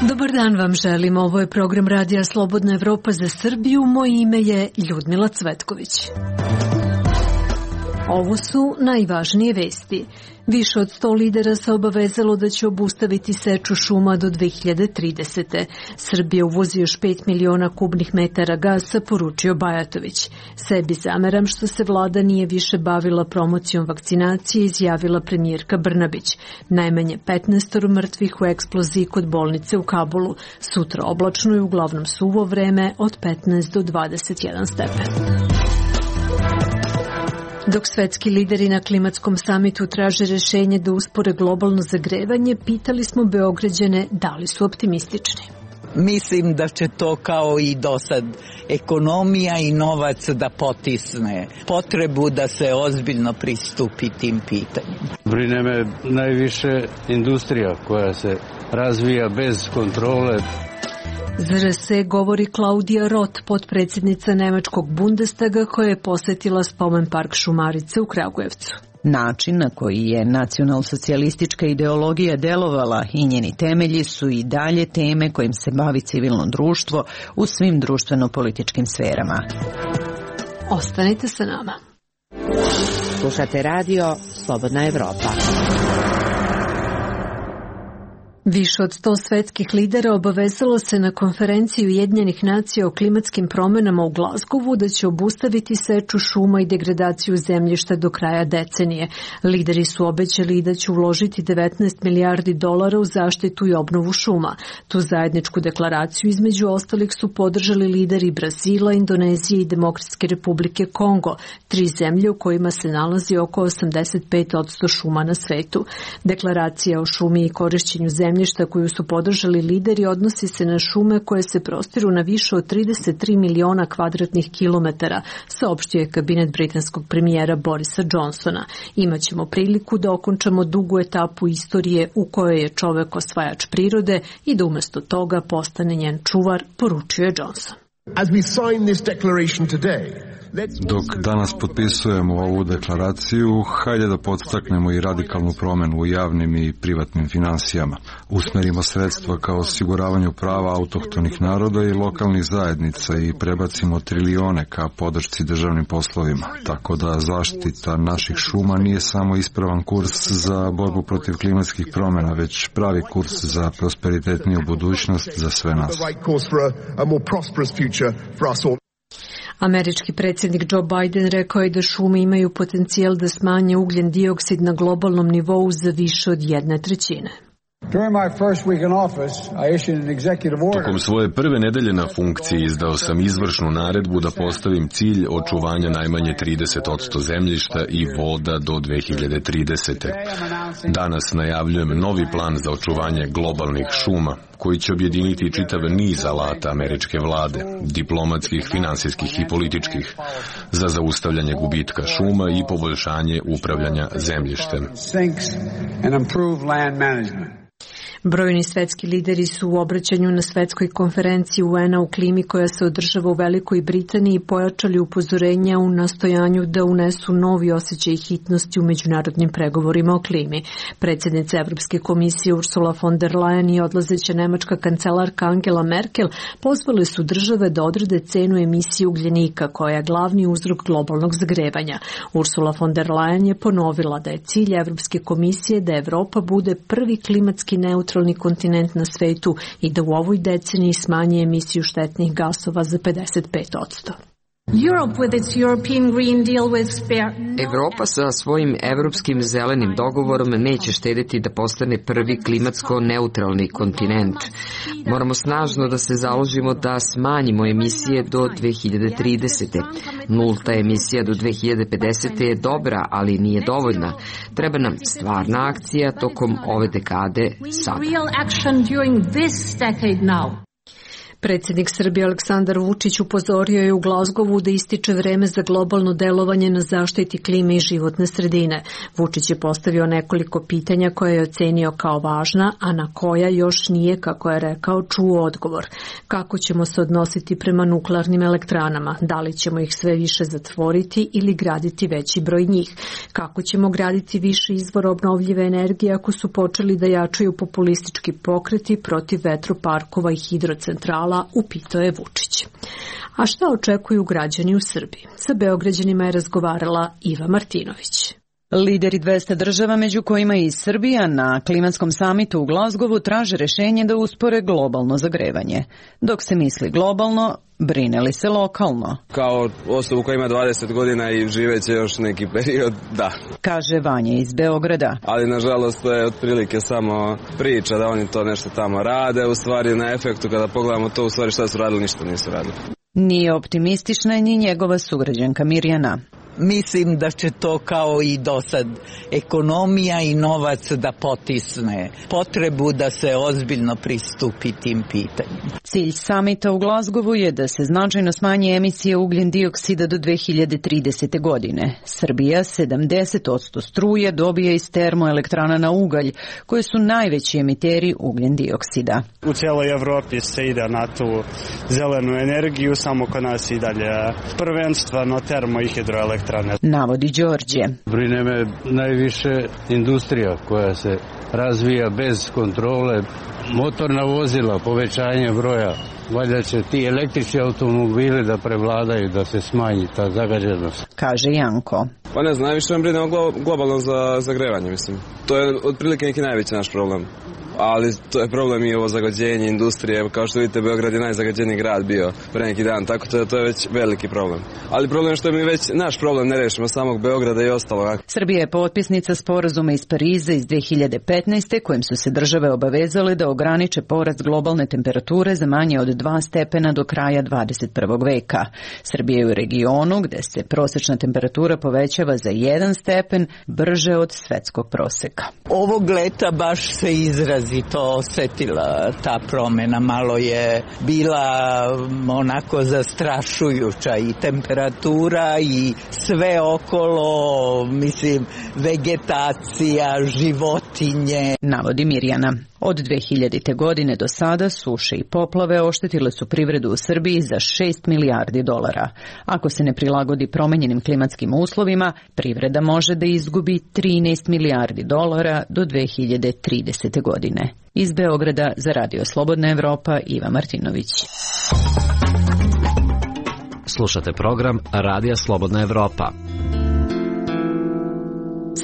Dobar dan vam želim, ovo je program Radija Slobodna Evropa za Srbiju, moje ime je Ljudmila Cvetković. Ovo su najvažnije vesti. Više od 100 lidera se obavezalo da će obustaviti seču šuma do 2030. Srbija uvozi još 5 miliona kubnih metara gasa, poručio Bajatović. Sebi zameram što se vlada nije više bavila promocijom vakcinacije, izjavila premijerka Brnabić. Najmanje 15 mrtvih u eksploziji kod bolnice u Kabulu. Sutra oblačno i uglavnom suvo vreme od 15 do 21 stepen. Dok svetski lideri na klimatskom samitu traže rešenje da uspore globalno zagrevanje, pitali smo Beograđane da li su optimistični. Mislim da će to kao i do sad ekonomija i novac da potisne potrebu da se ozbiljno pristupi tim pitanjima. Brine me najviše industrija koja se razvija bez kontrole. Za RS govori Klaudija Roth, potpredsjednica nemačkog Bundestaga koja je posetila spomen park Šumarice u Kragujevcu. Način na koji je nacionalsocijalistička ideologija delovala i njeni temelji su i dalje teme kojim se bavi civilno društvo u svim društveno-političkim sferama. Ostanite sa nama. Slušate radio Slobodna Evropa. Više od 100 svetskih lidera obavezalo se na konferenciji Ujedinjenih nacija o klimatskim promenama u Glazgovu da će obustaviti seču šuma i degradaciju zemljišta do kraja decenije. Lideri su obećali da će uložiti 19 milijardi dolara u zaštitu i obnovu šuma. Tu zajedničku deklaraciju između ostalih su podržali lideri Brazila, Indonezije i Demokratske republike Kongo, 3 zemlje u kojima se nalazi oko 85% šuma na svetu. Deklaracija o šumi i korišćenju zemljišta koju su podržali lideri odnosi se na šume koje se prostiru na više od 33 miliona kvadratnih kilometara, saopštio je kabinet britanskog premijera Borisa Johnsona. Imaćemo priliku da okončamo dugu etapu istorije u kojoj je čovek osvajač prirode i da umjesto toga postane njen čuvar, poručio je Johnson. Dok danas potpisujemo ovu deklaraciju, hajde da podstaknemo i radikalnu promenu u javnim i privatnim finansijama. Usmerimo sredstva kao osiguravanju prava autohtonih naroda i lokalnih zajednica i prebacimo trilione ka podršci državnim poslovima. Tako da zaštita naših šuma nije samo ispravan kurs za borbu protiv klimatskih promjena, već pravi kurs za prosperitetniju budućnost za sve nas. Američki predsjednik Joe Biden rekao je da šume imaju potencijal da smanje ugljen dioksid na globalnom nivou za više od 1/3. Tokom svoje prve nedelje na funkciji izdao sam izvršnu naredbu da postavim cilj očuvanja najmanje 30% zemljišta i voda do 2030. Danas najavljujem novi plan za očuvanje globalnih šuma, koji će objediniti čitav niz alata američke vlade, diplomatskih, finansijskih i političkih, za zaustavljanje gubitka šuma i poboljšanje upravljanja zemljištem. Brojni svetski lideri su u obraćanju na svetskoj konferenciji UN-a u klimi koja se održava u Velikoj Britaniji pojačali upozorenja u nastojanju da unesu novi osjećaj hitnosti u međunarodnim pregovorima o klimi. Predsjednica Evropske komisije Ursula von der Leyen i odlazeća nemačka kancelarka Angela Merkel pozvali su države da odrede cenu emisije ugljenika koja je glavni uzrok globalnog zagrevanja. Ursula von der Leyen je ponovila da je cilj Evropske komisije da Evropa bude prvi klimatski neutralni kontinent na svetu i da u ovoj deceniji smanji emisiju štetnih gasova za 55%. Evropa sa svojim evropskim zelenim dogovorom neće štediti da postane prvi klimatsko neutralni kontinent. Moramo snažno da se založimo da smanjimo emisije do 2030. Nulta emisija do 2050. je dobra, ali nije dovoljna. Treba nam stvarna akcija tokom ove dekade sada. Predsjednik Srbije Aleksandar Vučić upozorio je u Glazgovu da ističe vreme za globalno delovanje na zaštiti klime i životne sredine. Vučić je postavio nekoliko pitanja koje je ocenio kao važna, a na koja još nije, kako je rekao, čuo odgovor. Kako ćemo se odnositi prema nuklearnim elektranama? Da li ćemo ih sve više zatvoriti ili graditi veći broj njih? Kako ćemo graditi više izvora obnovljive energije ako su počeli da jačaju populistički pokreti protiv vetroparkova i hidrocentrala, upitao je Vučić. A šta očekuju građani u Srbiji? Sa Beograđanima je razgovarala Iva Martinović. Lideri 200 država, među kojima i Srbija, na klimatskom samitu u Glazgovu traže rešenje da uspore globalno zagrevanje. Dok se misli globalno, brine li se lokalno? Kao osobu koja ima 20 godina i živeće još neki period, da. Kaže Vanja iz Beograda. Ali nažalost to je otprilike samo priča da oni to nešto tamo rade, u stvari na efektu kada pogledamo to, u stvari šta su radili, ništa nisu radili. Nije optimistična ni njegova sugrađanka Mirjana. Mislim da će to kao i do sad ekonomija i novac da potisne potrebu da se ozbiljno pristupi tim pitanjima. Cilj samita u Glazgovu je da se značajno smanji emisije ugljen dioksida do 2030. godine. Srbija 70% struje dobija iz termoelektrana na ugalj, koje su najveći emiteri ugljen dioksida. U cijeloj Evropi se ide na tu zelenu energiju, samo kod nas i dalje prvenstveno termo i hidroelektrane. Navodi Đorđe. Brine me najviše industrija koja se razvija bez kontrole, motorna vozila, povećanje broja. Valjda će ti električni automobili da prevladaju, da se smanji ta zagađenost. Kaže Janko. Pa ne znam, najviše vam brine globalno za zagrevanje, mislim. To je otprilike neki najveći naš problem. Ali to je problem i ovo zagađenje industrije. Kao što vidite, Beograd je najzagađeniji grad bio pre neki dan, tako da to je već veliki problem. Ali problem je što mi već naš problem ne rešimo samog Beograda i ostalo. Srbija je potpisnica sporazuma iz Pariza iz 2015. kojim su se države obavezale da ograniče porast globalne temperature za manje od 2 stepena do kraja 21. veka. Srbija je u regionu gde se prosečna temperatura povećava za 1 stepen brže od svetskog proseka. Ovog leta baš se izrazito osetila ta promjena, malo je bila onako zastrašujuća i temperatura i sve okolo, mislim, vegetacija, životinje. Navodi Mirjana. Od 2000. godine do sada suše i poplave oštetile su privredu u Srbiji za $6 milijardi. Ako se ne prilagodi promenjenim klimatskim uslovima, privreda može da izgubi $13 milijardi do 2030. godine. Iz Beograda za Radio Slobodna Evropa, Iva Martinović. Slušate program Radija Slobodna Evropa.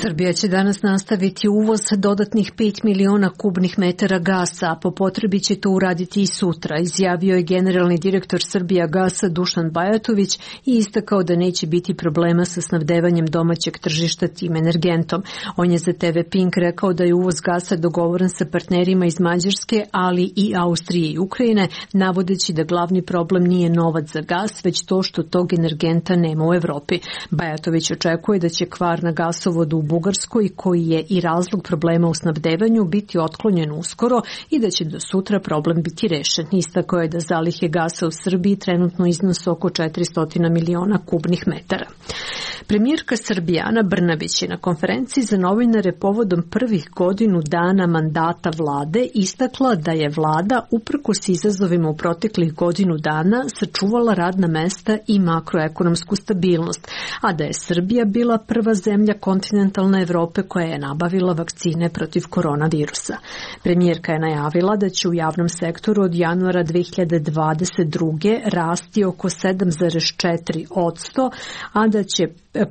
Srbija će danas nastaviti uvoz dodatnih 5 miliona kubnih metara gasa, a po potrebi će to uraditi i sutra, izjavio je generalni direktor Srbijagasa Dušan Bajatović i istakao da neće biti problema sa snabdevanjem domaćeg tržišta tim energentom. On je za TV Pink rekao da je uvoz gasa dogovoren sa partnerima iz Mađarske, ali i Austrije i Ukrajine, navodeći da glavni problem nije novac za gas, već to što tog energenta nema u Evropi. Bajatović očekuje da će kvar na gasovodu u Bugarskoj, koji je i razlog problema u snabdevanju, biti otklonjen uskoro i da će do sutra problem biti rešen. Istakao je da zalihe gasa u Srbiji trenutno iznose oko 400 miliona kubnih metara. Premijerka Srbije Ana Brnabić je na konferenciji za novinare povodom prvih godinu dana mandata vlade istakla da je vlada uprkos izazovima u proteklih godinu dana sačuvala radna mesta i makroekonomsku stabilnost, a da je Srbija bila prva zemlja kontinentalne Evrope koja je nabavila vakcine protiv koronavirusa. Premijerka je najavila da će u javnom sektoru od januara 2022. rasti oko 7,4%, a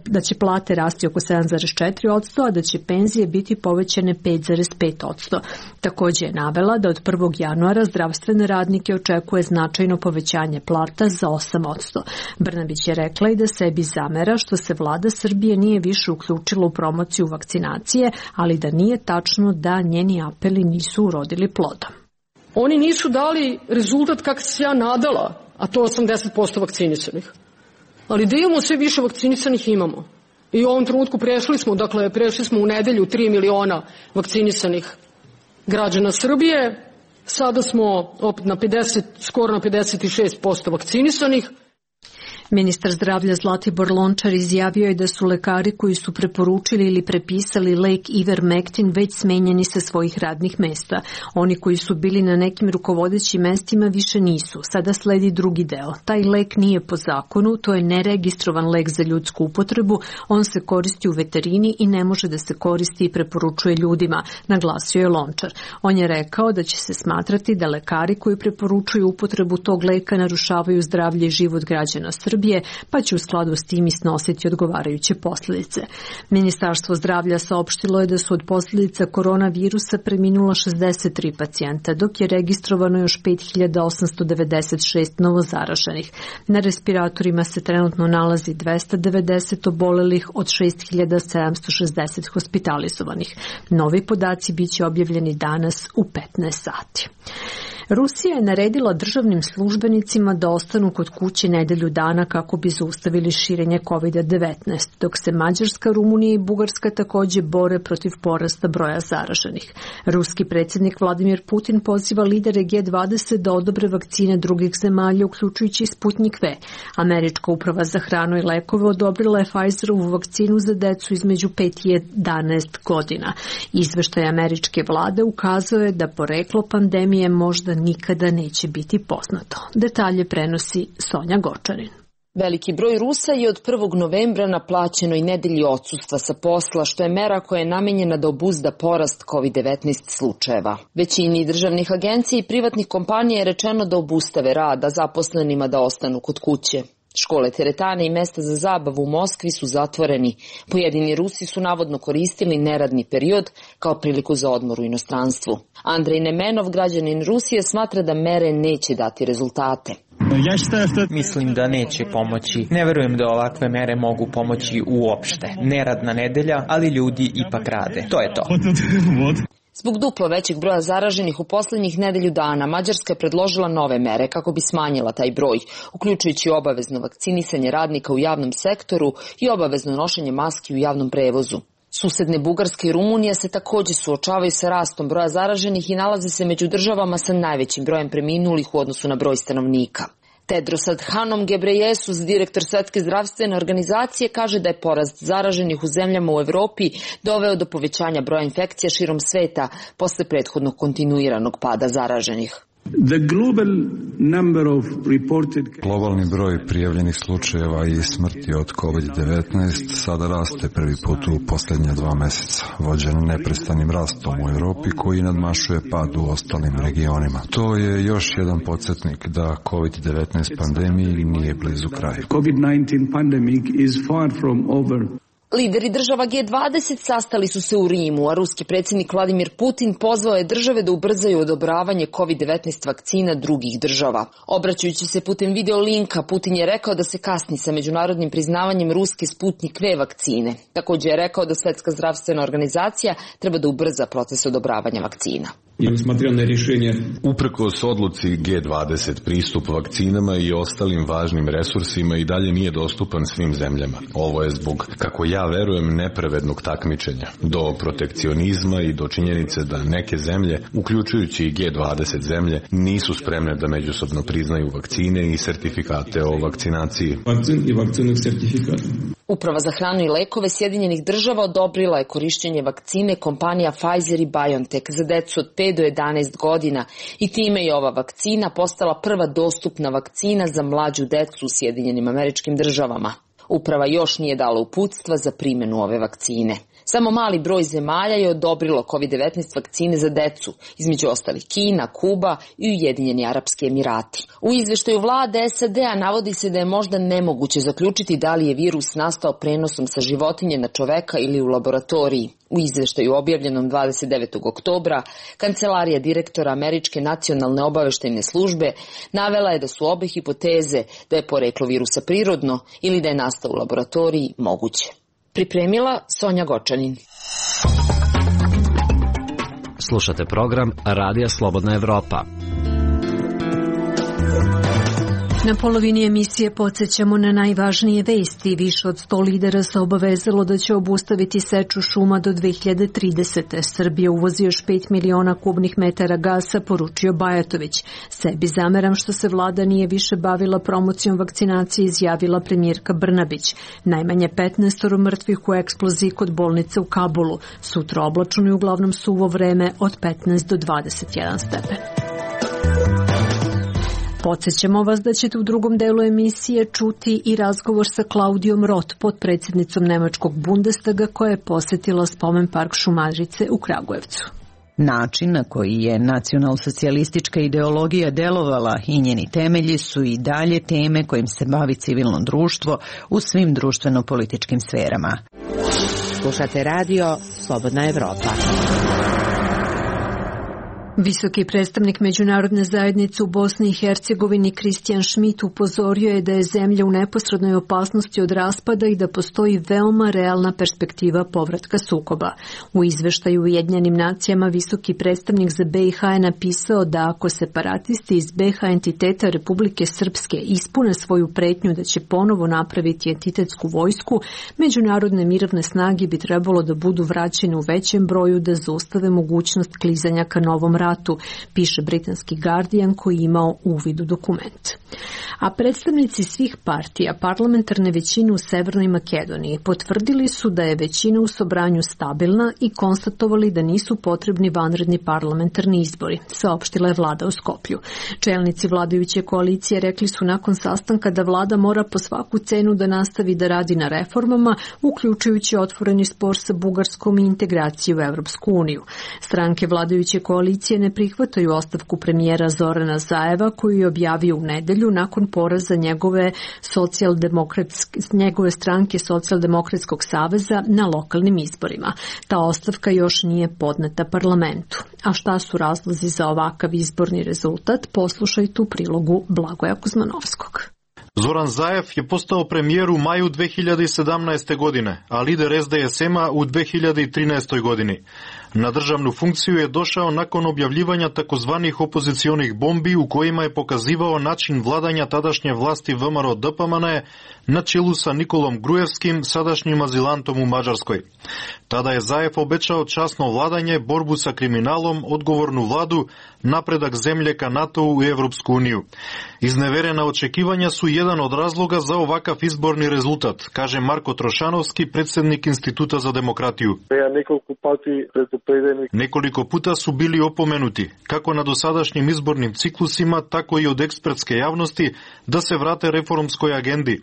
da će plate rasti oko 7,4%, a da će penzije biti povećane 5,5%. Također je navela da od 1. januara zdravstvene radnike očekuje značajno povećanje plata za 8%. Brnabić je rekla i da sebi zamera što se vlada Srbije nije više uključila u promociju vakcinacije, ali da nije tačno da njeni apeli nisu urodili plodom. Oni nisu dali rezultat kako se ja nadala, a to 80% vakcinisanih. Ali da imamo sve više vakcinisanih imamo. I u ovom trenutku prešli smo u nedelju 3 miliona vakcinisanih građana Srbije Sada smo opet na 50, skoro na 56% vakcinisanih. Ministar zdravlja Zlatibor Lončar izjavio je da su lekari koji su preporučili ili prepisali lek Ivermectin već smenjeni sa svojih radnih mesta. Oni koji su bili na nekim rukovodećim mestima više nisu. Sada sledi drugi deo. Taj lek nije po zakonu, to je neregistrovan lek za ljudsku upotrebu, on se koristi u veterini i ne može da se koristi i preporučuje ljudima, naglasio je Lončar. On je rekao da će se smatrati da lekari koji preporučuju upotrebu tog leka narušavaju zdravlje i život građana Srbije, pa će u skladu s tim i snositi odgovarajuće posljedice. Ministarstvo zdravlja saopštilo je da su od posljedica koronavirusa preminula 63 pacijenta, dok je registrovano još 5896 novozaraženih. Na respiratorima se trenutno nalazi 290 obolelih od 6760 hospitalizovanih. Novi podaci biće objavljeni danas u 15 sati. Rusija je naredila državnim službenicima da ostanu kod kuće nedelju dana kako bi zaustavili širenje COVID-19, dok se Mađarska, Rumunija i Bugarska također bore protiv porasta broja zaraženih. Ruski predsjednik Vladimir Putin poziva lidere G20 da odobre vakcine drugih zemalja, uključujući Sputnik V. Američka uprava za hranu i lekove odobrila je Pfizerovu vakcinu za decu između 5 i 11 godina. Izveštaj američke vlade ukazao je da poreklo pandemije možda nikada neće biti poznato. Detalje prenosi Sonja Gočanin. Veliki broj Rusa je od 1. novembra na plaćenoj nedelji odsustva sa posla, što je mera koja je namenjena da obuzda porast COVID-19 slučajeva. Većini državnih agencija i privatnih kompanija je rečeno da obustave rad, a zaposlenima da ostanu kod kuće. Škole, teretane i mesta za zabavu u Moskvi su zatvoreni. Pojedini Rusi su navodno koristili neradni period kao priliku za odmor u inostranstvu. Andrej Nemenov, građanin Rusije, smatra da mere neće dati rezultate. Mislim da neće pomoći. Ne verujem da ovakve mere mogu pomoći uopšte. Neradna nedelja, ali ljudi ipak rade. To je to. Zbog duplo većeg broja zaraženih u posljednjih nedelju dana, Mađarska je predložila nove mere kako bi smanjila taj broj, uključujući obavezno vakcinisanje radnika u javnom sektoru i obavezno nošenje maski u javnom prevozu. Susedne Bugarska i Rumunija se također suočavaju sa rastom broja zaraženih i nalaze se među državama sa najvećim brojem preminulih u odnosu na broj stanovnika. Tedros Adhanom Ghebreyesus, direktor Svetske zdravstvene organizacije, kaže da je porast zaraženih u zemljama u Evropi doveo do povećanja broja infekcija širom sveta posle prethodnog kontinuiranog pada zaraženih. Globalni broj prijavljenih slučajeva i smrti od COVID-19 sada raste prvi put u posljednja 2 meseca, vođen neprestanim rastom u Europi koji nadmašuje pad u ostalim regionima. To je još jedan podsjetnik da COVID-19 pandemiji nije blizu kraja. COVID-19 pandemic is far from over. Lideri država G20 sastali su se u Rimu, a ruski predsjednik Vladimir Putin pozvao je države da ubrzaju odobravanje COVID-19 vakcina drugih država. Obraćajući se putem video linka, Putin je rekao da se kasni sa međunarodnim priznavanjem ruske Sputnik V vakcine. Također je rekao da Svetska zdravstvena organizacija treba da ubrza proces odobravanja vakcina. Uprkos odluci G20, pristup vakcinama i ostalim važnim resursima i dalje nije dostupan svim zemljama. Ovo je zbog, kako ja verujem, nepravednog takmičenja, do protekcionizma i do činjenice da neke zemlje, uključujući i G20 zemlje, nisu spremne da međusobno priznaju vakcine i sertifikate o vakcinaciji. Uprava za hranu i lekove Sjedinjenih država odobrila je korišćenje vakcine kompanija Pfizer i BioNTech za decu od 5 do 11 godina i time je ova vakcina postala prva dostupna vakcina za mlađu decu u Sjedinjenim Američkim Državama. Uprava još nije dala uputstva za primjenu ove vakcine. Samo mali broj zemalja je odobrilo COVID-19 vakcine za decu, između ostalih Kina, Kuba i Ujedinjeni Arapski Emirati. U izveštaju vlade SAD-a navodi se da je možda nemoguće zaključiti da li je virus nastao prenosom sa životinje na čoveka ili u laboratoriji. U izveštaju objavljenom 29. oktobra, kancelarija direktora Američke nacionalne obaveštajne službe navela je da su obe hipoteze da je poreklo virusa prirodno ili da je nastao u laboratoriji moguće. Pripremila Sonja Gočanin. Slušate program Radija Slobodna Evropa. Na polovini emisije podsjećamo na najvažnije vesti. Više od 100 lidera se obavezalo da će obustaviti seču šuma do 2030. Srbija uvozi još 5 miliona kubnih metara gasa, poručio Bajatović. Sebi zameram što se vlada nije više bavila promocijom vakcinacije, izjavila premijerka Brnabić. Najmanje 15 mrtvih u eksploziji kod bolnice u Kabulu. Sutra oblačno i uglavnom suvo vreme od 15 do 21 stepen. Podsjećamo vas da ćete u drugom delu emisije čuti i razgovor sa Klaudijom Roth, potpredsjednicom Nemačkog Bundestaga, koja je posjetila spomen park Šumadrice u Kragujevcu. Način na koji je nacionalsocijalistička ideologija delovala i njeni temelji su i dalje teme kojim se bavi civilno društvo u svim društveno-političkim sferama. Slušate radio Slobodna Evropa. Visoki predstavnik međunarodne zajednice u Bosni i Hercegovini Kristijan Schmidt upozorio je da je zemlja u neposrednoj opasnosti od raspada i da postoji veoma realna perspektiva povratka sukoba. U izveštaju Ujedinjenim nacijama visoki predstavnik za BiH je napisao da ako separatisti iz BiH entiteta Republike Srpske ispune svoju pretnju da će ponovo napraviti entitetsku vojsku, međunarodne mirovne snage bi trebalo da budu vraćene u većem broju da zaustave mogućnost klizanja ka novom ratu, piše britanski Guardian koji je imao uvid u dokument. A predstavnici svih partija parlamentarne većine u Severnoj Makedoniji potvrdili su da je većina u Sobranju stabilna i konstatovali da nisu potrebni vanredni parlamentarni izbori, saopštila je vlada u Skoplju. Čelnici vladajuće koalicije rekli su nakon sastanka da vlada mora po svaku cenu da nastavi da radi na reformama, uključujući otvoreni spor sa Bugarskom i integraciju u Evropsku uniju. Stranke vladajuće koalicije ne prihvataju ostavku premijera Zorana Zajeva koju je objavio u nedelju nakon poraza njegove stranke Socijaldemokratskog saveza na lokalnim izborima. Ta ostavka još nije podneta parlamentu. A šta su razlozi za ovakav izborni rezultat? Poslušajte u prilogu Blagoja Kuzmanovskog. Zoran Zaev je postao premijer u maju 2017. godine, a lider SDSM-a u 2013. godini. Na državnu funkciju je došao nakon objavljivanja takozvanih opozicionih bombi u kojima je pokazivao način vladanja tadašnje vlasti VMRO DPMNE na čelu sa Nikolom Grujevskim, sadašnjim azilantom u Mađarskoj. Tada je Zaev obećao časno vladanje, borbu sa kriminalom, odgovornu vladu, napredak zemlje ka NATO-u i Evropsku uniju. Izneverena očekivanja su jedan od razloga za ovakav izborni rezultat, kaže Marko Trošanovski, predsjednik Instituta za demokratiju. Nekoliko puta su bili opomenuti, kako na dosadašnjim izbornim ciklusima, tako i od ekspertske javnosti, da se vrate reformskoj agendi.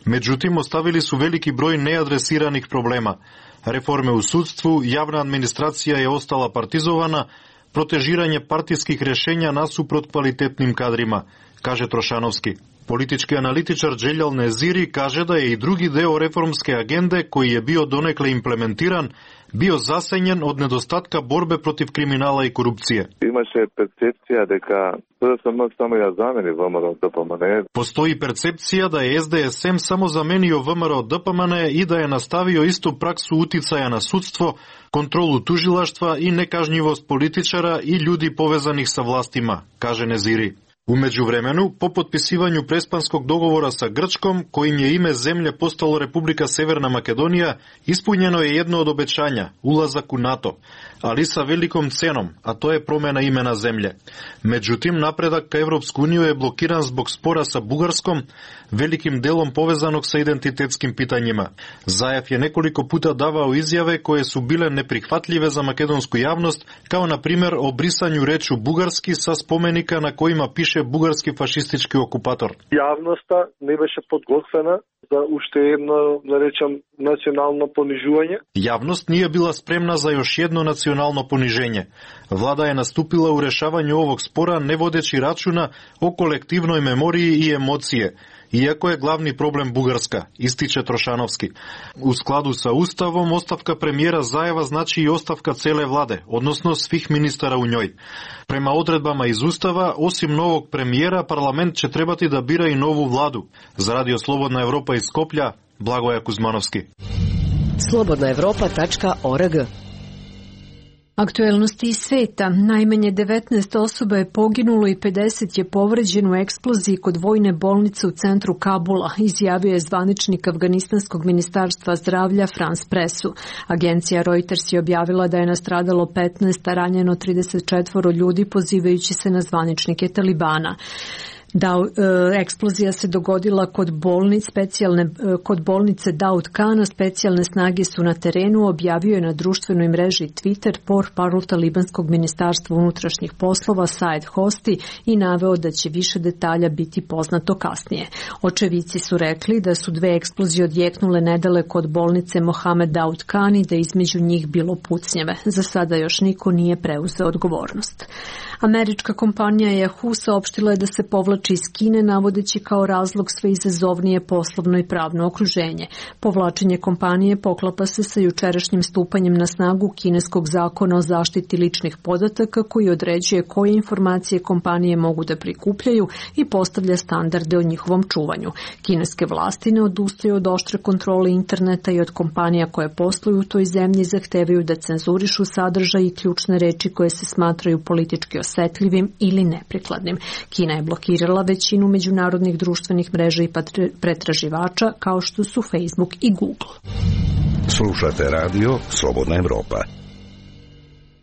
Međutim, ostavili su veliki broj neadresiranih problema. Reforme u sudstvu, javna administracija je ostala partizovana, protežiranje partijskih rješenja nasuprot kvalitetnim kadrima, kaže Trošanovski. Politički analitičar Dželjal Neziri kaže da je i drugi deo reformske agende, koji je bio donekle implementiran, bio zasenjen od nedostatka borbe protiv kriminala i korupcije. Postoji percepcija da je SDSM samo zamenio VMRO DPMNE i da je nastavio istu praksu uticaja na sudstvo, kontrolu tužilaštva i nekažnjivost političara i ljudi povezanih sa vlastima, kaže Neziri. U međuvremenu, po potpisivanju prespanskog dogovora sa Grčkom, kojim je ime zemlje postalo Republika Severna Makedonija, ispunjeno je jedno od obećanja, ulazak u NATO, ali sa velikom cenom, a to je promjena imena zemlje. Međutim, napredak ka Evropsku uniju je blokiran zbog spora sa Bugarskom, velikim delom povezanog sa identitetskim pitanjima. Zaev je nekoliko puta davao izjave koje su bile neprihvatljive za makedonsku javnost, kao na primjer o brisanju rečju bugarski sa spomenika na kojima piše bugarski fašistički okupator. Javnosta ne беше подготвена за уште едно, да речам, национално понижување. Javnost nije bila spremna za još jedno nacionalno poniženje. Vlada je nastupila u rešavanju ovog spora ne vodeći računa o kolektivnoj memoriji i emocije, iako je glavni problem Bugarska, ističe Trošanovski. U skladu sa Ustavom, ostavka premijera Zajeva znači i ostavka cele vlade, odnosno svih ministara u njoj. Prema odredbama iz Ustava, osim novog premijera, parlament će trebati da bira i novu vladu. Za Radio Slobodna Evropa iz Skoplja, Blagoja Kuzmanovski. slobodnaevropa.org Aktuelnosti iz sveta. Najmanje 19 osoba je poginulo i 50 je povređeno u eksploziji kod vojne bolnice u centru Kabula, izjavio je zvaničnik Afganistanskog ministarstva zdravlja Frans Pressu. Agencija Reuters je objavila da je nastradalo 15, a ranjeno 34 ljudi, pozivajući se na zvaničnike Talibana. Eksplozija se dogodila kod bolnice Daud Kana. Specijalne snage su na terenu, objavio je na društvenoj mreži Twitter portparol talibanskog ministarstva unutrašnjih poslova Saed Hosti i naveo da će više detalja biti poznato kasnije. Očevici su rekli da su 2 eksplozije odjeknule nedaleko od bolnice Mohamed Daud Khan i da između njih bilo pucnjeve. Za sada još niko nije preuzeo odgovornost. Američka kompanija Yahoo saopštila je da se povlači iz Kine, navodeći kao razlog sve izazovnije poslovno i pravno okruženje. Povlačenje kompanije poklapa se sa jučerašnjim stupanjem na snagu kineskog zakona o zaštiti ličnih podataka, koji određuje koje informacije kompanije mogu da prikupljaju i postavlja standarde o njihovom čuvanju. Kineske vlasti ne odustaju od oštre kontrole interneta i od kompanija koje posluju u toj zemlji zahtevaju da cenzurišu sadržaj i ključne reči koje se smatraju politički osetljivim ili neprikladnim. Kina je blokirala većinu međunarodnih društvenih mreža i pretraživača kao što su Facebook i Google. Slušate radio Slobodna Evropa.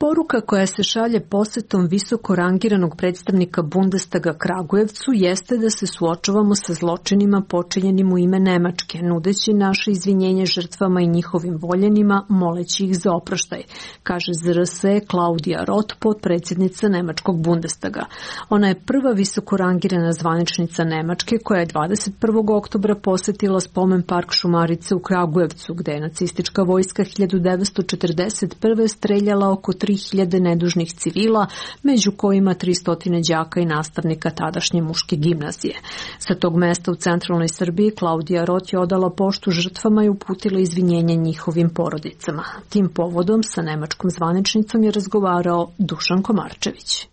Poruka koja se šalje posetom visoko rangiranog predstavnika Bundestaga Kragujevcu jeste da se suočavamo sa zločinima počinjenim u ime Nemačke, nudeći naše izvinjenje žrtvama i njihovim voljenima, moleći ih za oproštaj, kaže ZRS Klaudija Roth, potpredsjednica Nemačkog Bundestaga. Ona je prva visoko rangirana zvaničnica Nemačke koja je 21. oktobra posetila spomen park Šumarice u Kragujevcu, gde je nacistička vojska 1941. streljala oko 3000 nedužnih civila, među kojima 300 đaka i nastavnika tadašnje muške gimnazije. Sa tog mesta u centralnoj Srbiji Klaudija Roth je odala poštu žrtvama i uputila izvinjenje njihovim porodicama. Tim povodom sa nemačkom zvaničnicom je razgovarao Dušan Komarčević.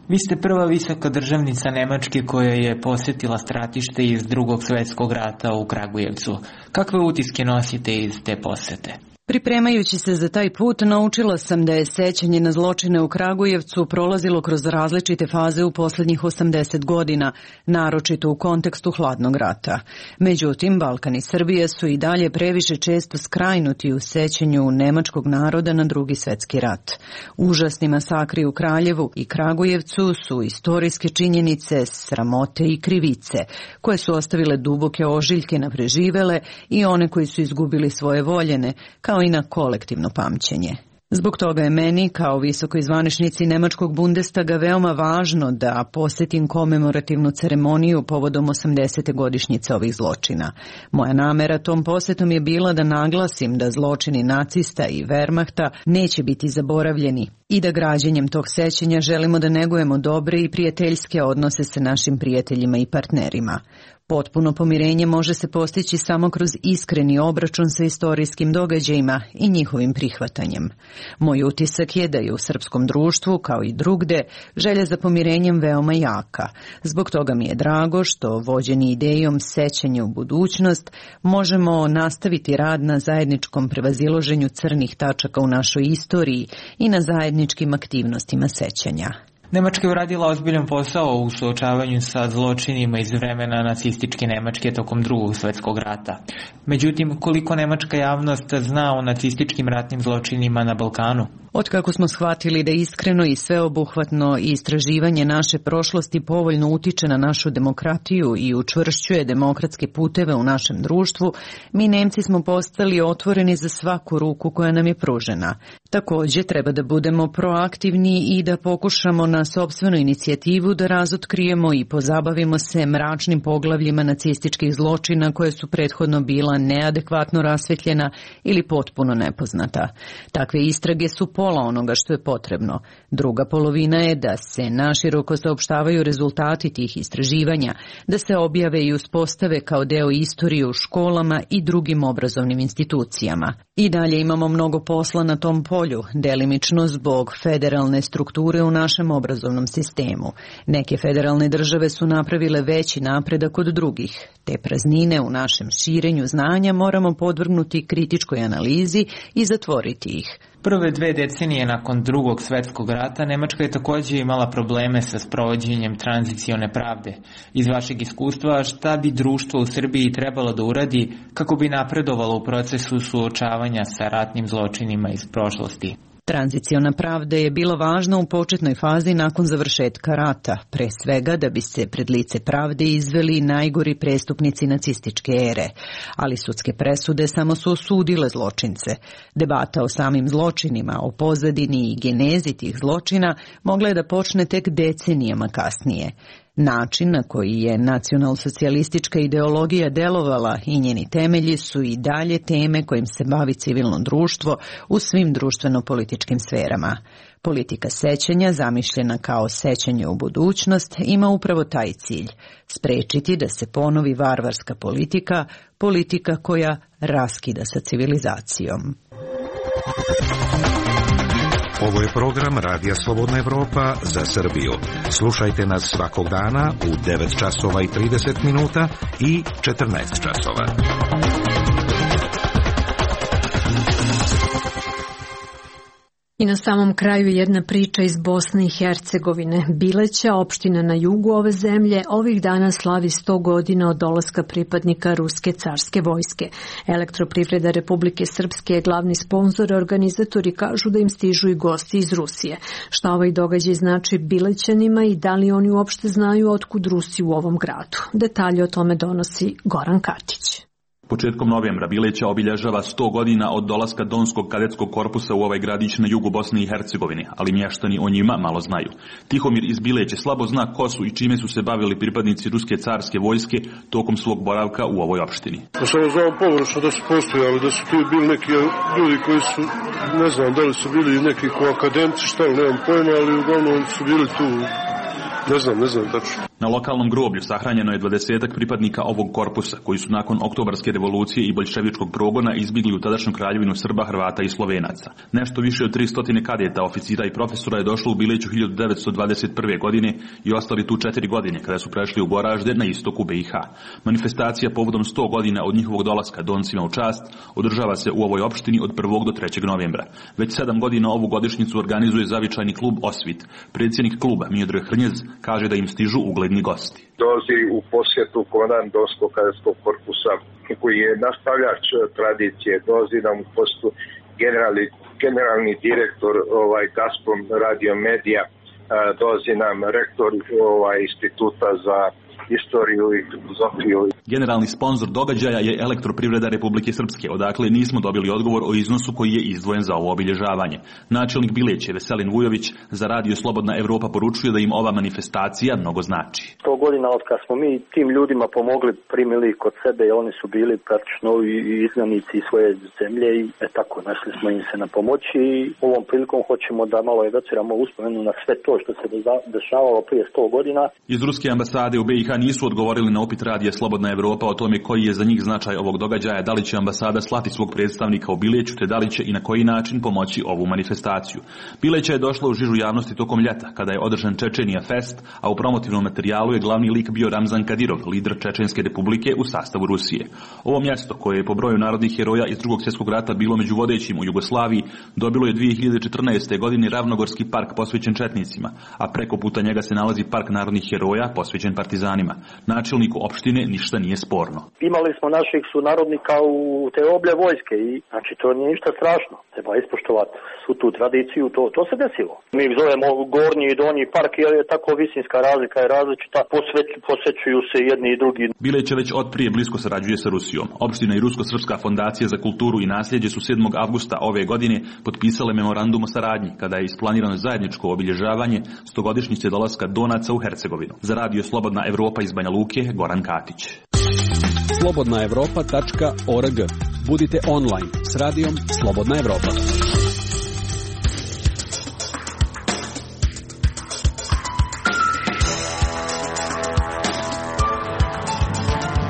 Vi ste prva visoka državnica Nemačke koja je posjetila stratište iz Drugog svjetskog rata u Kragujevcu. Kakve utiske nosite iz te posete? Pripremajući se za taj put, naučila sam da je sećanje na zločine u Kragujevcu prolazilo kroz različite faze u posljednjih 80 godina, naročito u kontekstu hladnog rata. Međutim, Balkan i Srbija su i dalje previše često skrajnuti u sećanju nemačkog naroda na Drugi svjetski rat. Užasni masakri u Kraljevu i Kragujevcu su istorijske činjenice, sramote i krivice, koje su ostavile duboke ožiljke na preživele i one koji su izgubili svoje voljene, kao i na kolektivno pamćenje. Zbog toga je meni, kao visokoj zvaničnici Nemačkog Bundestaga, veoma važno da posjetim komemorativnu ceremoniju povodom 80. godišnjice ovih zločina. Moja namera tom posjetom je bila da naglasim da zločini nacista i Wehrmachta neće biti zaboravljeni i da građenjem tog sećanja želimo da negujemo dobre i prijateljske odnose sa našim prijateljima i partnerima. Potpuno pomirenje može se postići samo kroz iskreni obračun sa istorijskim događajima i njihovim prihvatanjem. Moj utisak je da je u srpskom društvu, kao i drugde, želja za pomirenjem veoma jaka. Zbog toga mi je drago što, vođeni idejom sećanja u budućnost, možemo nastaviti rad na zajedničkom prevazilaženju crnih tačaka u našoj istoriji i na zajedničkim aktivnostima sećanja. Nemačka je uradila ozbiljan posao u suočavanju sa zločinima iz vremena nacističke Nemačke tokom Drugog svjetskog rata. Međutim, koliko nemačka javnost zna o nacističkim ratnim zločinima na Balkanu? Otkako smo shvatili da iskreno i sveobuhvatno istraživanje naše prošlosti povoljno utiče na našu demokratiju i učvršćuje demokratske puteve u našem društvu, mi Nemci smo postali otvoreni za svaku ruku koja nam je pružena. Također treba da budemo proaktivni i da pokušamo na sopstvenu inicijativu da razotkrijemo i pozabavimo se mračnim poglavljima nacističkih zločina koje su prethodno bila neadekvatno rasvetljena ili potpuno nepoznata. Takve istrage su pola onoga što je potrebno. Druga polovina je da se naširoko saopštavaju rezultati tih istraživanja, da se objave i uspostave kao deo istorije u školama i drugim obrazovnim institucijama. I dalje imamo mnogo posla na tom polju, delimično zbog federalne strukture u našem obrazovnom sistemu. Neke federalne države su napravile veći napredak od drugih. Te praznine u našem širenju znanja moramo podvrgnuti kritičkoj analizi i zatvoriti ih. Prve 2 decenije nakon Drugog svetskog rata Nemačka je također imala probleme sa sprovođenjem tranzicione pravde. Iz vašeg iskustva, šta bi društvo u Srbiji trebalo da uradi kako bi napredovalo u procesu suočavanja sa ratnim zločinima iz prošlosti? Tranziciona pravda je bila važna u početnoj fazi nakon završetka rata, pre svega da bi se pred lice pravde izveli najgori prestupnici nacističke ere, ali sudske presude samo su osudile zločince. Debata o samim zločinima, o pozadini i genezi tih zločina mogla je da počne tek decenijama kasnije. Način na koji je nacionalsocijalistička ideologija delovala i njeni temelji su i dalje teme kojim se bavi civilno društvo u svim društveno-političkim sferama. Politika sećanja, zamišljena kao sećanje u budućnost, ima upravo taj cilj – sprečiti da se ponovi varvarska politika, politika koja raskida sa civilizacijom. Ovo je program Radija Slobodna Evropa za Srbiju. Slušajte nas svakog dana u 9 časova i 30 minuta i 14 časova. I na samom kraju jedna priča iz Bosne i Hercegovine. Bileća, opština na jugu ove zemlje, ovih dana slavi 100 godina od dolaska pripadnika Ruske carske vojske. Elektroprivreda Republike Srpske je glavni sponzor, a organizatori kažu da im stižu i gosti iz Rusije. Šta ovaj događaj znači Bilećanima i da li oni uopšte znaju otkud Rusi u ovom gradu? Detalje o tome donosi Goran Katić. Početkom novembra Bileća obilježava 100 godina od dolaska Donskog kadetskog korpusa u ovaj gradić na jugu Bosne i Hercegovine, ali mještani o njima malo znaju. Tihomir iz Bileće slabo zna ko su i čime su se bavili pripadnici Ruske carske vojske tokom svog boravka u ovoj opštini. Samo znam površno da su postojali, da su tu bili neki ljudi koji su, ne znam da li su bili neki ko akademci, šta li, nemam pojma, ali uglavnom su bili tu. Ne znam tačno. Na lokalnom groblju sahranjeno je 20 pripadnika ovog korpusa, koji su nakon oktobarske revolucije i boljševičkog progona izbjegli u tadašnju kraljevinu Srba, Hrvata i Slovenaca. Nešto više od 300 kadeta, oficira i profesora je došlo u Bileću 1921. godine i ostali tu 4 godine kada su prešli u Goražde na istoku BiH. Manifestacija povodom 100 godina od njihovog dolaska Doncima u čast održava se u ovoj opštini od 1. do 3. novembra. Već 7 godina ovu godišnjicu organizuje zavičajni klub Osvit. Predsjednik kluba Miodrag Hrnjez kaže da im stižu ugledni gosti. Dolazi u posjetu komandant Donskog kadetskog korpusa koji je nastavljač tradicije. Dolazi nam u posjetu generalni direktor Gazprom Radio Medija. Dolazi nam rektor instituta za istoriju i filozofiju. Generalni sponzor događaja je Elektroprivreda Republike Srpske, odakle nismo dobili odgovor o iznosu koji je izdvojen za ovo obilježavanje. Načelnik Bileće, Veselin Vujović, za Radio Slobodna Evropa poručuje da im ova manifestacija mnogo znači. 100 godina od kad smo mi tim ljudima pomogli, primili kod sebe, oni su bili praktično i izgnanici svoje zemlje i tako našli smo im se na pomoći i ovom prilikom hoćemo da malo evociramo uspomenu na sve to što se dešavalo prije 100 godina. Iz Ruske ambasade u BiH nisu odgovorili na upit Radija Slobodna Evropa o tome koji je za njih značaj ovog događaja, da li će ambasada slati svog predstavnika u Bileću, te da li će i na koji način pomoći ovu manifestaciju. Bileća je došla u žižu javnosti tokom ljeta, kada je održan Čečenija Fest, a u promotivnom materijalu je glavni lik bio Ramzan Kadirov, lider Čečenske republike u sastavu Rusije. Ovo mjesto, koje je po broju narodnih heroja iz Drugog svjetskog rata bilo među vodećim u Jugoslaviji, dobilo je 2014. godine Ravnogorski park posvećen četnicima, a preko puta njega se nalazi park narodnih heroja posvećen partizanima. Načelniku opštine ništa nije sporno. Imali smo naših sunarodnika u te oblje vojske i znači to nije ništa strašno. Treba ispoštovati svu tu tradiciju, to se desilo. Mi zovemo gornji i donji park jer je tako visinska razlika je različita, posvećuju se jedni i drugi. Bileće već od prije blisko sarađuje sa Rusijom. Opština i Rusko-srpska fondacija za kulturu i nasljeđe su 7. avgusta ove godine potpisale memorandum o saradnji, kada je isplanirano zajedničko obilježavanje 100-godišnjice dolaska Donaca u Hercegovinu. Za Radio Slobodna Evropa iz Banja Luke, Goran Katić. Slobodnaevropa.org. Budite online s radijom Slobodna Evropa.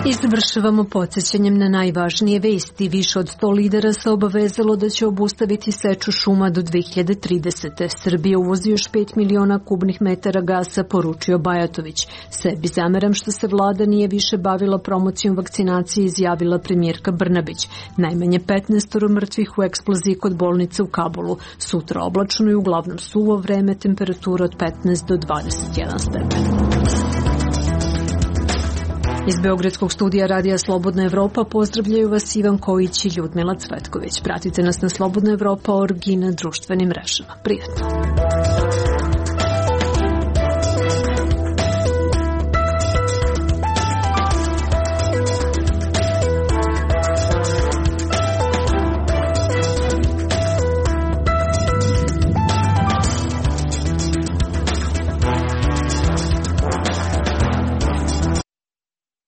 I završavamo podsjećanjem na najvažnije vesti. Više od 100 lidera se obavezalo da će obustaviti seču šuma do 2030. Srbija uvozi još 5 miliona kubnih metara gasa, poručio Bajatović. Sebi zameram što se vlada nije više bavila promocijom vakcinacije, izjavila premijerka Brnabić. Najmanje 15 mrtvih u eksploziji kod bolnice u Kabulu. Sutra oblačno i uglavnom suvo vreme, temperatura od 15 do 21 stepen. Iz Beogradskog studija Radija Slobodna Evropa pozdravljaju vas Ivan Kojić i Ljudmila Cvetković. Pratite nas na Slobodna Evropa.org i na društvenim mrežama. Prijatno!